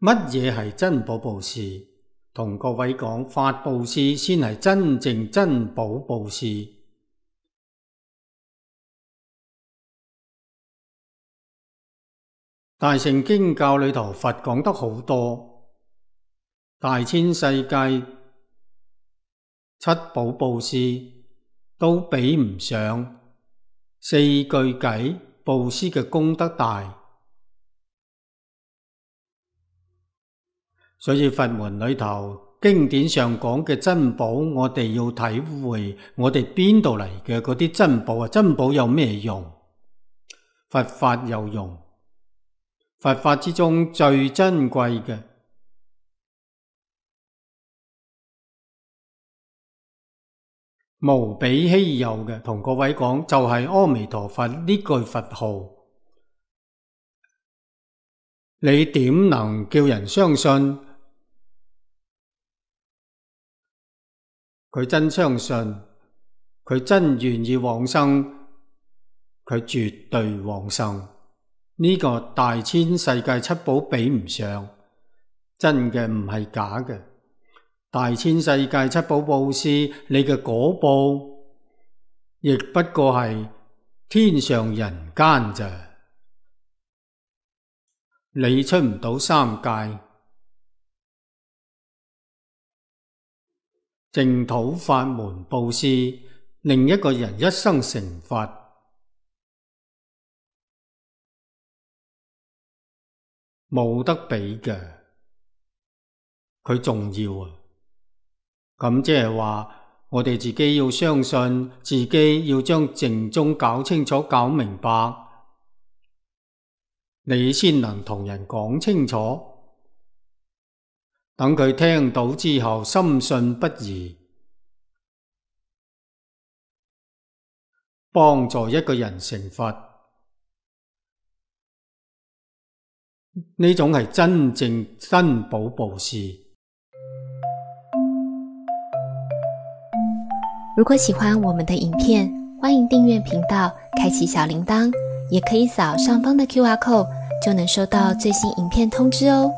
乜嘢係珍寶布施？同各位講，法布施先係真正珍寶布施。大乘經教裏頭，佛講得好多，大千世界七寶布施都比唔上四句偈布施嘅功德大。所以佛門裏頭經典上講嘅珍寶，我哋要體會我哋邊度嚟嘅嗰啲珍寶啊？珍寶有咩用？佛法有用。佛法之中最珍貴嘅，無比稀有嘅，同各位講就係阿彌陀佛呢句佛號。你點能叫人相信佢真相信，佢真願意往生，佢絕對往生。呢個大千世界七寶比唔上，真嘅唔係假嘅。大千世界七寶布施，你嘅果報亦不過係天上人間咋，你出唔到三界。淨土法門布施，令一個人一生成佛，冇得比嘅，佢重要啊！咁即係話，我哋自己要相信，自己要將淨宗搞清楚、搞明白，你先能同人講清楚，等佢聽到之後深信不疑，幫助一個人成佛。呢種係真正珍寶布施。如果喜歡我們的影片，歡迎訂閱頻道，開啟小鈴鐺，也可以掃上方的QR code，就能收到最新影片通知哦。